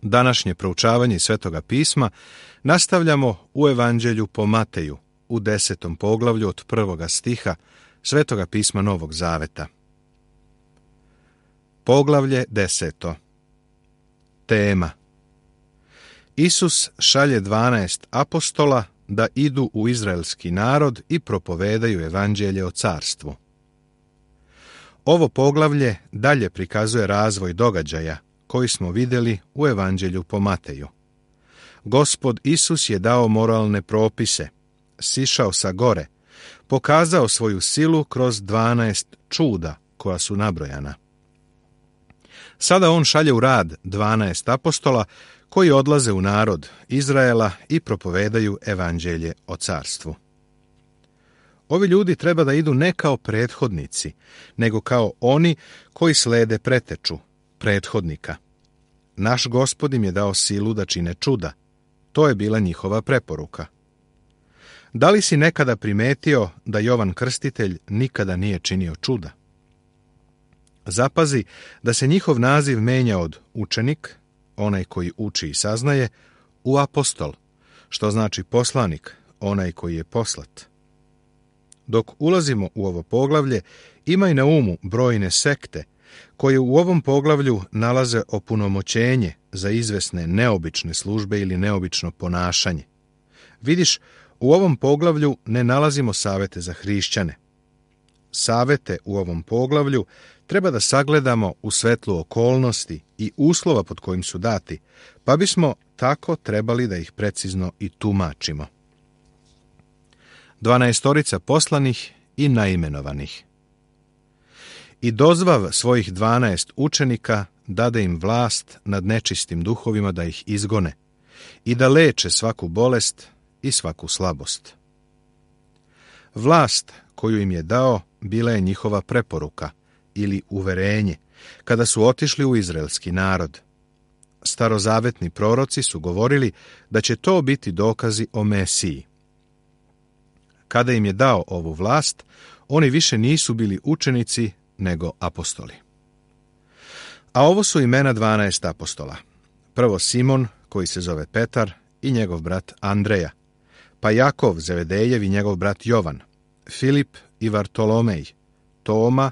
Današnje proučavanje Svetoga pisma nastavljamo u Evanđelju po Mateju, u 10. poglavlju od 1. stiha Svetoga pisma Novog Zaveta. Poglavlje 10. Tema: Isus šalje 12 apostola da idu u izraelski narod i propovedaju evanđelje o carstvu. Ovo poglavlje dalje prikazuje razvoj događaja koji smo vidjeli u Evanđelju po Mateju. Gospod Isus je dao moralne propise, sišao sa gore, pokazao svoju silu kroz 12 čuda koja su nabrojana. Sada on šalje u rad 12 apostola koji odlaze u narod Izraela i propovedaju evanđelje o carstvu. Ovi ljudi treba da idu ne kao prethodnici, nego kao oni koji slede preteču prethodnika. Naš Gospod im je dao silu da čine čuda. To je bila njihova preporuka. Da li si nekada primetio da Jovan Krstitelj nikada nije činio čuda? Zapazi da se njihov naziv menja od učenik, onaj koji uči i saznaje, u apostol, što znači poslanik, onaj koji je poslat. Dok ulazimo u ovo poglavlje, imaj na umu brojne sekte koje u ovom poglavlju nalaze opunomoćenje za izvesne neobične službe ili neobično ponašanje. Vidiš, u ovom poglavlju ne nalazimo savete za hrišćane. Savete u ovom poglavlju treba da sagledamo u svetlu okolnosti i uslova pod kojim su dati, pa bismo tako trebali da ih precizno i tumačimo. 12 poslanih i naimenovanih. I dozvav svojih 12 učenika dade im vlast nad nečistim duhovima da ih izgone i da leče svaku bolest i svaku slabost. Vlast koju im je dao bila je njihova preporuka ili uverenje kada su otišli u izraelski narod. Starozavetni proroci su govorili da će to biti dokazi o Mesiji. Kada im je dao ovu vlast, oni više nisu bili učenici nego apostoli. A ovo su imena 12 apostola. Prvo Simon, koji se zove Petar, i njegov brat Andreja, pa Jakov Zevedejev i njegov brat Jovan, Filip i Vartolomej, Toma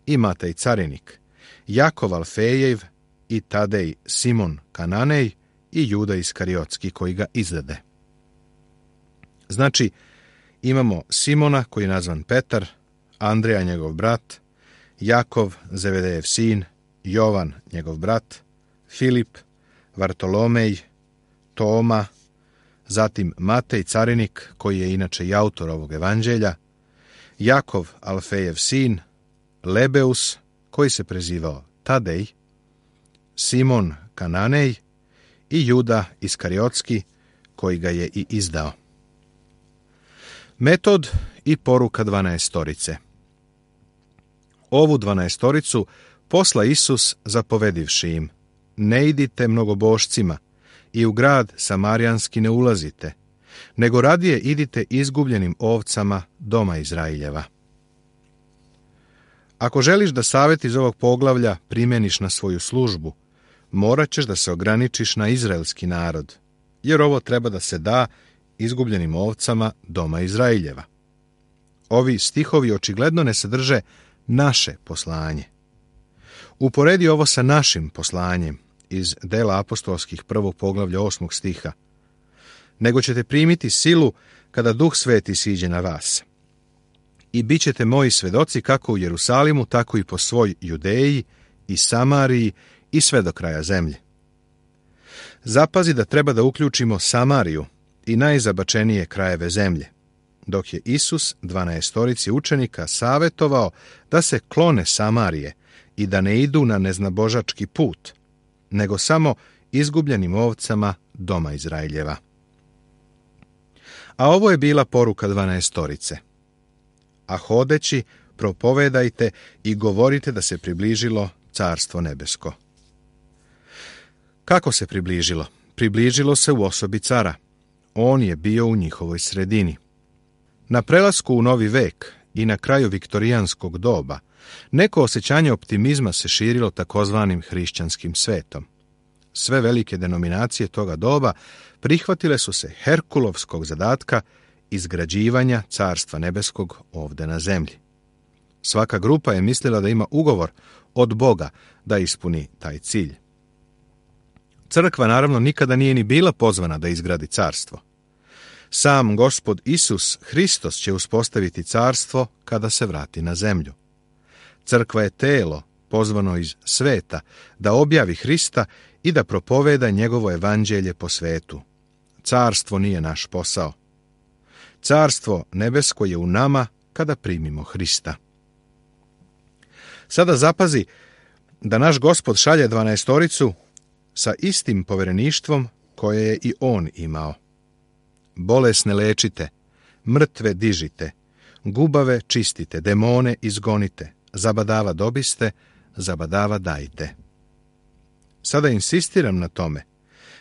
i Matej Carinik, Jakov Alfejev i Tadej Simon Kananej i Juda Iskariotski koji ga izdade. Znači, imamo Simona koji je nazvan Petar, Andreja njegov brat, Jakov Zevedejev sin, Jovan njegov brat, Filip, Vartolomej, Toma, zatim Matej Carinik koji je inače i autor ovog evanđelja, Jakov Alfejev sin, Lebeus koji se prezivao Tadej, Simon Kananej i Juda Iskariotski koji ga je i izdao. Metod i poruka 12. Ovu 12 posla Isus zapovedivši im: ne idite mnogobošcima i u grad Samarijanski ne ulazite, nego radije idite izgubljenim ovcama doma Izraeljeva. Ako želiš da savet iz ovog poglavlja primjeniš na svoju službu, morat ćeš da se ograničiš na izraelski narod, jer ovo treba da se da izgubljenim ovcama doma Izraeljeva. Ovi stihovi očigledno ne sadrže naše poslanje. Uporedi ovo sa našim poslanjem iz Dela apostolskih 1. poglavlja 8. stiha. Nego ćete primiti silu kada Duh Sveti siđe na vas. I bit ćete moji svedoci kako u Jerusalimu, tako i po svoj Judeji i Samariji i sve do kraja zemlje. Zapazi da treba da uključimo Samariju i najzabačenije krajeve zemlje, dok je Isus 12 učenika savetovao da se klone Samarije i da ne idu na neznabožački put, nego samo izgubljenim ovcama doma Izraeljeva. A ovo je bila poruka 12. A hodeći, propovedajte i govorite da se približilo Carstvo nebesko. Kako se približilo? Približilo se u osobi cara. On je bio u njihovoj sredini. Na prelasku u novi vek i na kraju viktorijanskog doba, neko osjećanje optimizma se širilo takozvanim hrišćanskim svetom. Sve velike denominacije toga doba prihvatile su se Herkulovskog zadatka izgrađivanja Carstva nebeskog ovde na zemlji. Svaka grupa je mislila da ima ugovor od Boga da ispuni taj cilj. Crkva naravno nikada nije ni bila pozvana da izgradi carstvo. Sam Gospod Isus Hristos će uspostaviti carstvo kada se vrati na zemlju. Crkva je telo pozvano iz sveta da objavi Hrista i da propoveda njegovo evanđelje po svetu. Carstvo nije naš posao. Carstvo nebesko je u nama kada primimo Hrista. Sada zapazi da naš Gospod šalje 12 sa istim povereništvom koje je i on imao. Bolesne lečite, mrtve dižite, gubave čistite, demone izgonite, zabadava dobiste, zabadava dajte. Sada insistiram na tome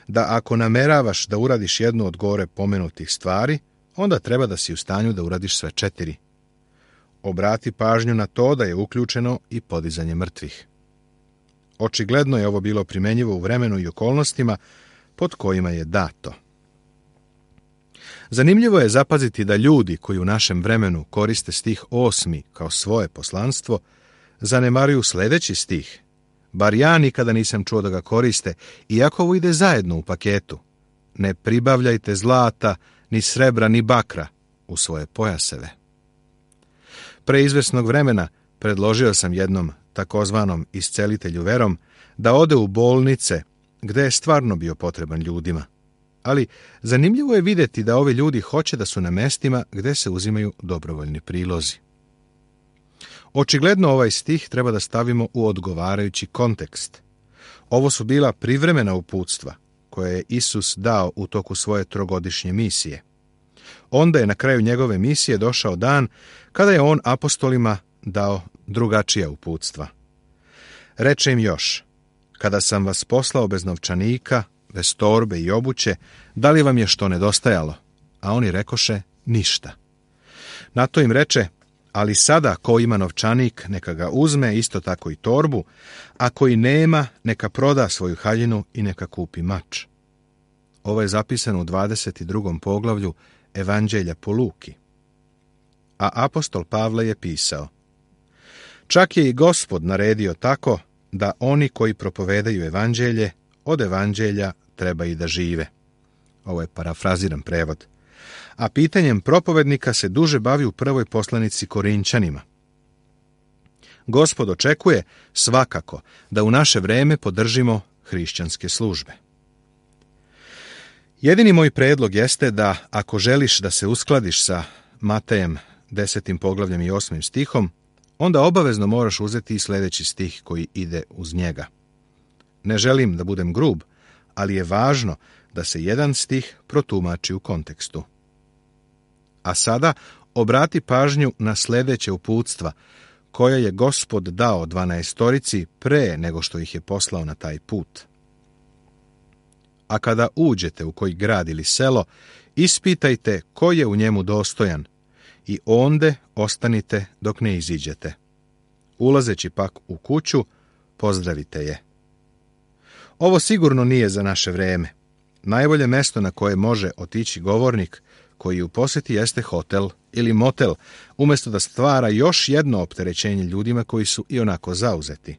da ako nameravaš da uradiš jednu od gore pomenutih stvari, onda treba da si u stanju da uradiš sve 4. Obrati pažnju na to da je uključeno i podizanje mrtvih. Očigledno je ovo bilo primenjivo u vremenu i okolnostima pod kojima je dato. Zanimljivo je zapaziti da ljudi koji u našem vremenu koriste stih 8. kao svoje poslanstvo, zanemaruju sljedeći stih. Bar ja nikada nisam čuo da ga koriste, iako ovo ide zajedno u paketu. Ne pribavljajte zlata, ni srebra, ni bakra u svoje pojaseve. Pre izvesnog vremena predložio sam jednom takozvanom iscelitelju verom da ode u bolnice gde je stvarno bio potreban ljudima. Ali zanimljivo je vidjeti da ovi ljudi hoće da su na mestima gde se uzimaju dobrovoljni prilozi. Očigledno ovaj stih treba da stavimo u odgovarajući kontekst. Ovo su bila privremena uputstva koje je Isus dao u toku svoje 3-godišnje misije. Onda je na kraju njegove misije došao dan kada je on apostolima dao drugačija uputstva. Reče im još: kada sam vas poslao bez novčanika, bez torbe i obuće, da li vam je što nedostajalo? A oni rekoše: ništa. Na to im reče: ali sada ko ima novčanik, neka ga uzme, isto tako i torbu, a koji nema, neka proda svoju haljinu i neka kupi mač. Ovo je zapisano u 22. poglavlju Evanđelja po Luki. A apostol Pavle je pisao: čak je i Gospod naredio tako da oni koji propovedaju evanđelje, od evanđelja treba i da žive. Ovo je parafraziran prevod. A pitanjem propovednika se duže bavi u prvoj poslanici Korinćanima. Gospod očekuje svakako da u naše vreme podržimo hrišćanske službe. Jedini moj predlog jeste da ako želiš da se uskladiš sa Matejem 10. poglavljem i 8. stihom, onda obavezno moraš uzeti i sljedeći stih koji ide uz njega. Ne želim da budem grub, ali je važno da se jedan stih protumači u kontekstu. A sada obrati pažnju na sljedeće uputstva koja je Gospod dao 12 pre nego što ih je poslao na taj put. A kada uđete u koji grad ili selo, ispitajte ko je u njemu dostojan i onde ostanite dok ne iziđete. Ulazeći pak u kuću, pozdravite je. Ovo sigurno nije za naše vreme. Najbolje mesto na koje može otići govornik koji u posjeti jeste hotel ili motel, umjesto da stvara još jedno opterećenje ljudima koji su i onako zauzeti.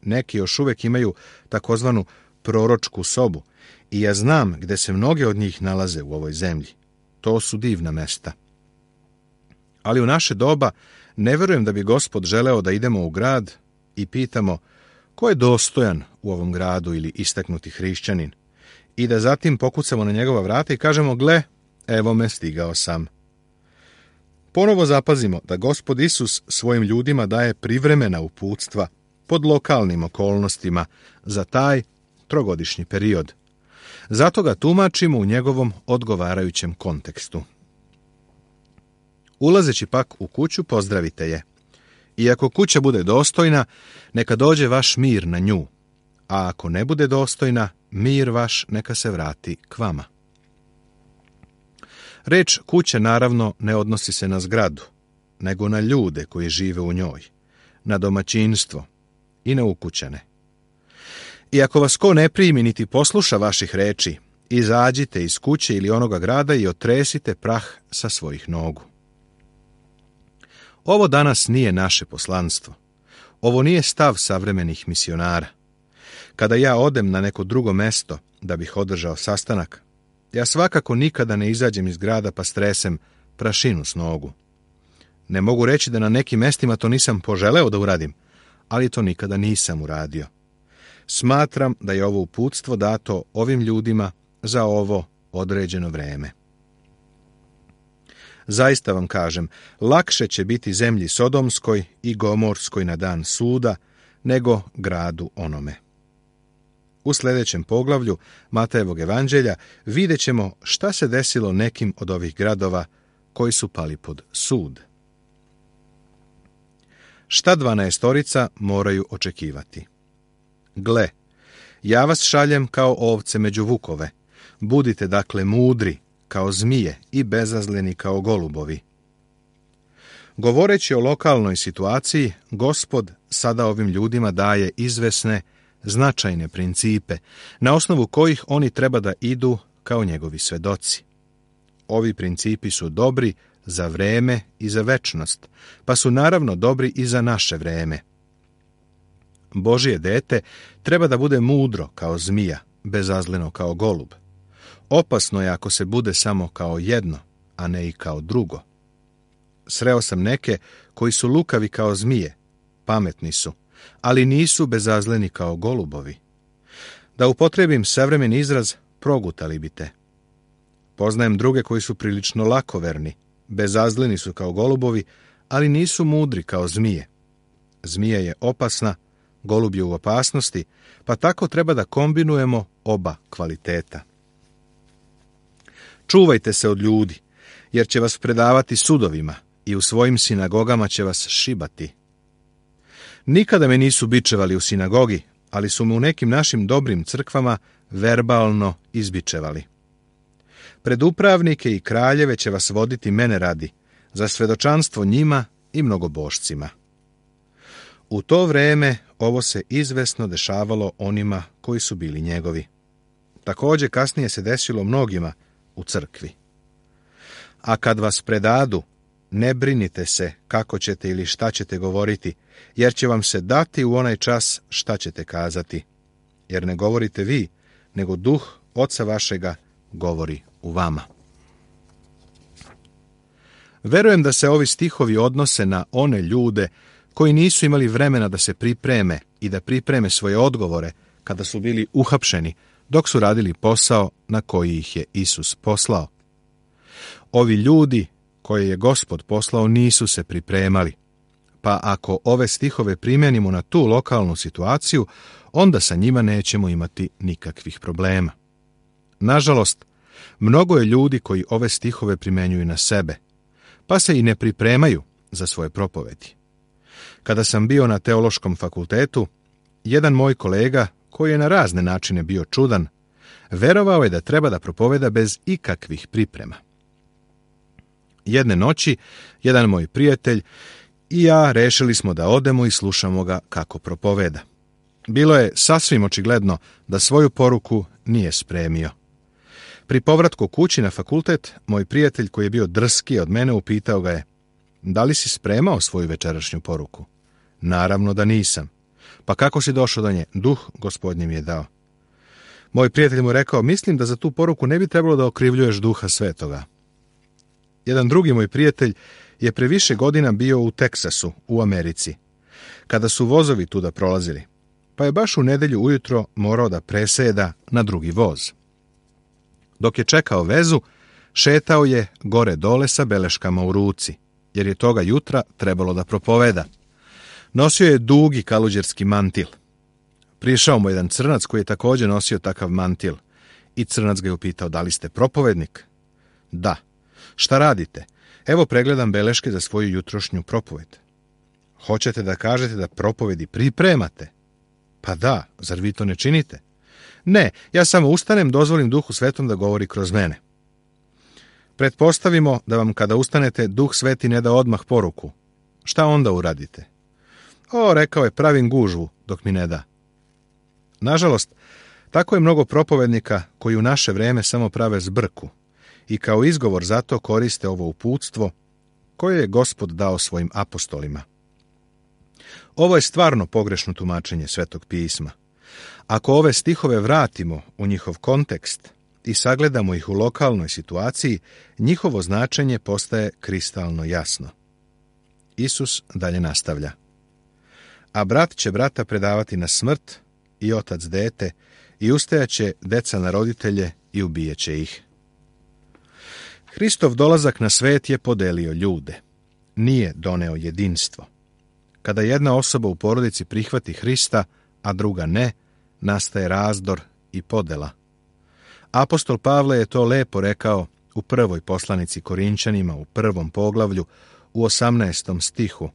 Neki još uvijek imaju takozvanu proročku sobu i ja znam gde se mnoge od njih nalaze u ovoj zemlji. To su divna mesta. Ali u naše doba ne verujem da bi Gospod želeo da idemo u grad i pitamo ko je dostojan u ovom gradu ili istaknuti hrišćanin i da zatim pokucamo na njegova vrata i kažemo: gle, evo me, stigao sam. Ponovo zapazimo da Gospod Isus svojim ljudima daje privremena uputstva pod lokalnim okolnostima za taj 3-godišnji period. Zato ga tumačimo u njegovom odgovarajućem kontekstu. Ulazeći pak u kuću, pozdravite je. I ako kuća bude dostojna, neka dođe vaš mir na nju, a ako ne bude dostojna, mir vaš neka se vrati k vama. Reč kuće naravno ne odnosi se na zgradu, nego na ljude koji žive u njoj, na domaćinstvo i na ukućane. I ako vas ko ne primi niti posluša vaših reči, izađite iz kuće ili onoga grada i otresite prah sa svojih nogu. Ovo danas nije naše poslanstvo. Ovo nije stav savremenih misionara. Kada ja odem na neko drugo mesto da bih održao sastanak, ja svakako nikada ne izađem iz grada pa stresem prašinu s nogu. Ne mogu reći da na nekim mestima to nisam poželeo da uradim, ali to nikada nisam uradio. Smatram da je ovo uputstvo dato ovim ljudima za ovo određeno vreme. Zaista vam kažem, lakše će biti zemlji Sodomskoj i Gomorskoj na dan suda, nego gradu onome. U sljedećem poglavlju Matejevog evanđelja vidjet ćemo šta se desilo nekim od ovih gradova koji su pali pod sud. Šta 12 moraju očekivati? Gle, ja vas šaljem kao ovce među vukove. Budite dakle mudri kao zmije i bezazleni kao golubovi. Govoreći o lokalnoj situaciji, Gospod sada ovim ljudima daje izvesne, značajne principe, na osnovu kojih oni treba da idu kao njegovi svedoci. Ovi principi su dobri za vreme i za večnost, pa su naravno dobri i za naše vreme. Božje dete treba da bude mudro kao zmija, bezazleno kao golub. Opasno je ako se bude samo kao jedno, a ne i kao drugo. Sreo sam neke koji su lukavi kao zmije, pametni su, ali nisu bezazleni kao golubovi. Da upotrebim savremeni izraz, progutali bi te. Poznajem druge koji su prilično lakoverni, bezazleni su kao golubovi, ali nisu mudri kao zmije. Zmija je opasna, golub je u opasnosti, pa tako treba da kombinujemo oba kvaliteta. Čuvajte se od ljudi, jer će vas predavati sudovima i u svojim sinagogama će vas šibati. Nikada me nisu bičevali u sinagogi, ali su me u nekim našim dobrim crkvama verbalno izbičevali. Pred upravnike i kraljeve će vas voditi mene radi, za svedočanstvo njima i mnogobošcima. U to vreme ovo se izvesno dešavalo onima koji su bili njegovi. Također kasnije se desilo mnogima u crkvi. A kad vas predadu, ne brinite se kako ćete ili šta ćete govoriti, jer će vam se dati u onaj čas šta ćete kazati. Jer ne govorite vi, nego duh Oca vašega govori u vama. Verujem da se ovi stihovi odnose na one ljude koji nisu imali vremena da se pripreme i da pripreme svoje odgovore kada su bili uhapšeni, dok su radili posao na koji ih je Isus poslao. Ovi ljudi koje je Gospod poslao nisu se pripremali, pa ako ove stihove primjenimo na tu lokalnu situaciju, onda sa njima nećemo imati nikakvih problema. Nažalost, mnogo je ljudi koji ove stihove primjenjuju na sebe, pa se i ne pripremaju za svoje propovedi. Kada sam bio na teološkom fakultetu, jedan moj kolega, koji je na razne načine bio čudan, verovao je da treba da propoveda bez ikakvih priprema. Jedne noći, jedan moj prijatelj i ja rešili smo da odemo i slušamo ga kako propoveda. Bilo je sasvim očigledno da svoju poruku nije spremio. Pri povratku kući na fakultet, moj prijatelj koji je bio drski od mene upitao ga je: da li si spremao svoju večerašnju poruku? Naravno da nisam. Pa kako si došao do nje? Duh Gospodnji mi je dao. Moj prijatelj mu rekao: mislim da za tu poruku ne bi trebalo da okrivljuješ Duha Svetoga. Jedan drugi moj prijatelj je pre više godina bio u Teksasu, u Americi, kada su vozovi tuda prolazili, pa je baš u nedelju ujutro morao da preseda na drugi voz. Dok je čekao vezu, šetao je gore dole sa beleškama u ruci, jer je toga jutra trebalo da propoveda. Nosio je dugi kaluđerski mantil. Prišao mu jedan crnac koji je također nosio takav mantil i crnac ga je upitao: da li ste propovednik? Da. Šta radite? Evo pregledam beleške za svoju jutrošnju propoved. Hoćete da kažete da propovedi pripremate? Pa da, zar vi to ne činite? Ne, ja samo ustanem, dozvolim Duhu Svetom da govori kroz mene. Pretpostavimo da vam kada ustanete Duh Sveti ne da odmah poruku. Šta onda uradite? O, rekao je, pravim gužvu dok mi ne da. Nažalost, tako je mnogo propovednika koji u naše vrijeme samo prave zbrku i kao izgovor za to koriste ovo uputstvo koje je Gospod dao svojim apostolima. Ovo je stvarno pogrešno tumačenje Svetog pisma. Ako ove stihove vratimo u njihov kontekst i sagledamo ih u lokalnoj situaciji, njihovo značenje postaje kristalno jasno. Isus dalje nastavlja. A brat će brata predavati na smrt i otac dete i ustajaće deca na roditelje i ubijeće ih. Hristov dolazak na svet je podelio ljude. Nije doneo jedinstvo. Kada jedna osoba u porodici prihvati Hrista, a druga ne, nastaje razdor i podela. Apostol Pavle je to lepo rekao u prvoj poslanici Korinčanima u 1. poglavlju u 18. stihu,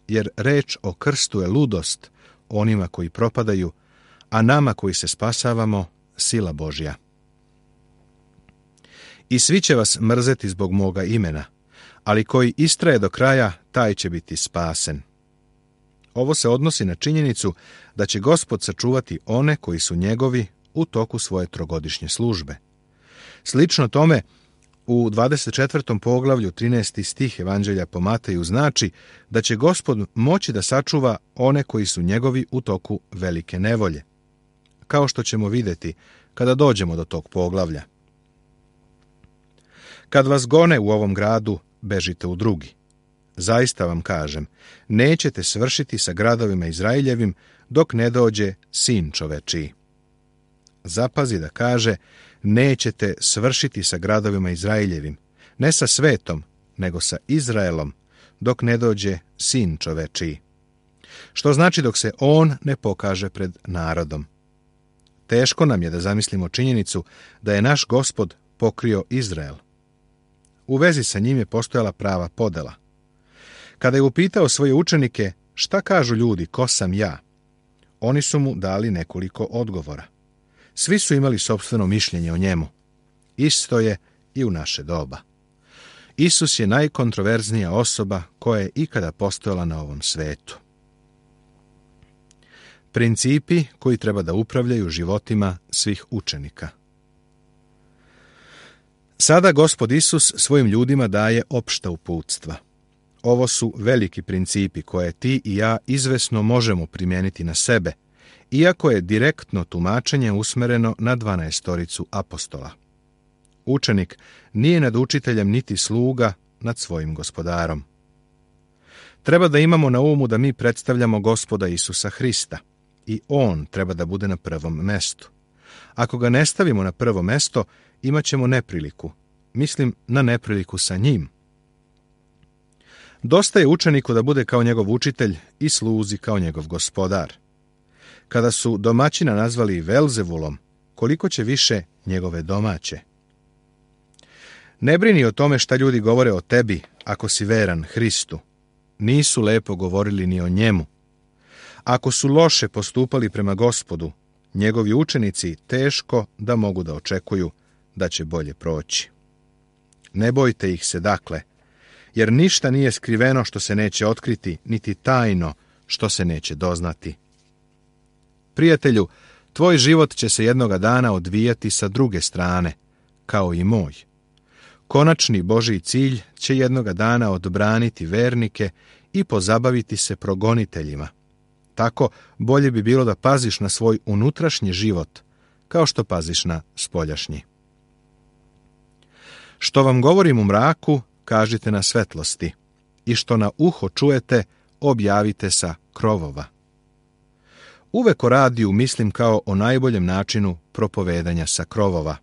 jer reč o krstu je ludost onima koji propadaju, a nama koji se spasavamo sila Božja. I svi će vas mrzeti zbog moga imena, ali koji istraje do kraja, taj će biti spasen. Ovo se odnosi na činjenicu da će Gospod sačuvati one koji su njegovi u toku svoje trogodišnje službe. Slično tome, u 24. poglavlju 13. stih Evanđelja po Mateju znači da će Gospod moći da sačuva one koji su njegovi u toku velike nevolje, kao što ćemo vidjeti kada dođemo do tog poglavlja. Kad vas gone u ovom gradu, bežite u drugi. Zaista vam kažem, nećete svršiti sa gradovima Izraeljevim dok ne dođe Sin čovečiji. Zapazi da kaže, nećete svršiti sa gradovima Izraeljevim, ne sa svetom, nego sa Izraelom, dok ne dođe Sin čovečiji. Što znači dok se on ne pokaže pred narodom. Teško nam je da zamislimo činjenicu da je naš Gospod pokrio Izrael. U vezi sa njim je postojala prava podela. Kada je upitao svoje učenike šta kažu ljudi, ko sam ja, oni su mu dali nekoliko odgovora. Svi su imali sopstveno mišljenje o njemu. Isto je i u naše doba. Isus je najkontroverznija osoba koja je ikada postojala na ovom svetu. Principi koji treba da upravljaju životima svih učenika. Sada Gospod Isus svojim ljudima daje opšta uputstva. Ovo su veliki principi koje ti i ja izvesno možemo primijeniti na sebe, iako je direktno tumačenje usmereno na 12 apostola. Učenik nije nad učiteljem niti sluga nad svojim gospodarom. Treba da imamo na umu da mi predstavljamo Gospoda Isusa Hrista i on treba da bude na prvom mestu. Ako ga ne stavimo na prvo mesto, imat ćemo nepriliku. Mislim na nepriliku sa njim. Dosta je učeniku da bude kao njegov učitelj i sluzi kao njegov gospodar. Kada su domaćina nazvali Velzevulom, koliko će više njegove domaće. Ne brini o tome šta ljudi govore o tebi ako si veran Hristu. Nisu lepo govorili ni o njemu. Ako su loše postupali prema Gospodu, njegovi učenici teško da mogu da očekuju da će bolje proći. Ne bojte ih se dakle, jer ništa nije skriveno što se neće otkriti, niti tajno što se neće doznati. Prijatelju, tvoj život će se jednoga dana odvijati sa druge strane, kao i moj. Konačni Božji cilj će jednoga dana odbraniti vernike i pozabaviti se progoniteljima. Tako bolje bi bilo da paziš na svoj unutrašnji život, kao što paziš na spoljašnji. Što vam govorim u mraku, kažite na svetlosti, i što na uho čujete, objavite sa krovova. Uvek o radiju mislim kao o najboljem načinu propovedanja sa krovova.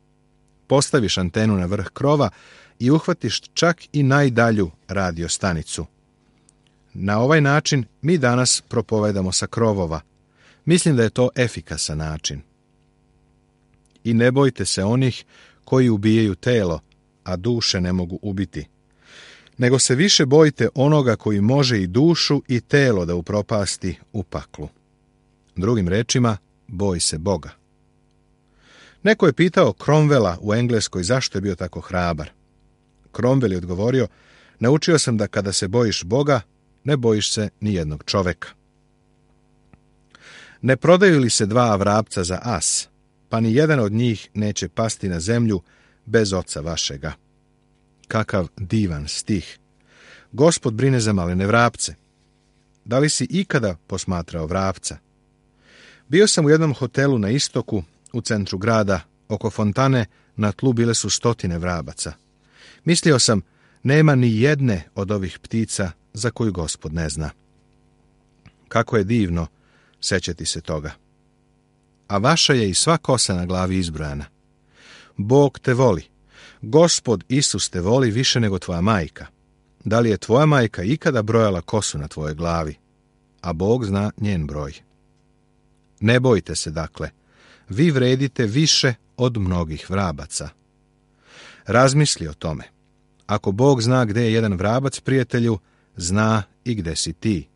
Postaviš antenu na vrh krova i uhvatiš čak i najdalju radio stanicu. Na ovaj način mi danas propovedamo sa krovova. Mislim da je to efikasan način. I ne bojte se onih koji ubijaju telo, a duše ne mogu ubiti. Nego se više bojte onoga koji može i dušu i telo da upropasti u paklu. Drugim rečima, boj se Boga. Neko je pitao Cromwella u Engleskoj zašto je bio tako hrabar. Cromwell je odgovorio, naučio sam da kada se bojiš Boga, ne bojiš se ni jednog čoveka. Ne prodaju li se 2 vrapca za as, pa ni jedan od njih neće pasti na zemlju bez oca vašega. Kakav divan stih. Gospod brine za malene vrapce. Da li si ikada posmatrao vrapca? Bio sam u jednom hotelu na istoku, u centru grada, oko fontane, na tlu bile su 100 vrabaca. Mislio sam, nema ni jedne od ovih ptica za koju Gospod ne zna. Kako je divno sećati se toga. A vaša je i sva kosa na glavi izbrojana. Bog te voli. Gospod Isus te voli više nego tvoja majka. Da li je tvoja majka ikada brojala kosu na tvojoj glavi? A Bog zna njen broj. Ne bojte se, dakle. Vi vredite više od mnogih vrabaca. Razmisli o tome. Ako Bog zna gde je jedan vrabac, prijatelju, zna i gde si ti.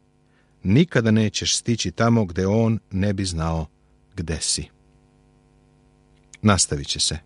Nikada nećeš stići tamo gde on ne bi znao gde si. Nastavit će se.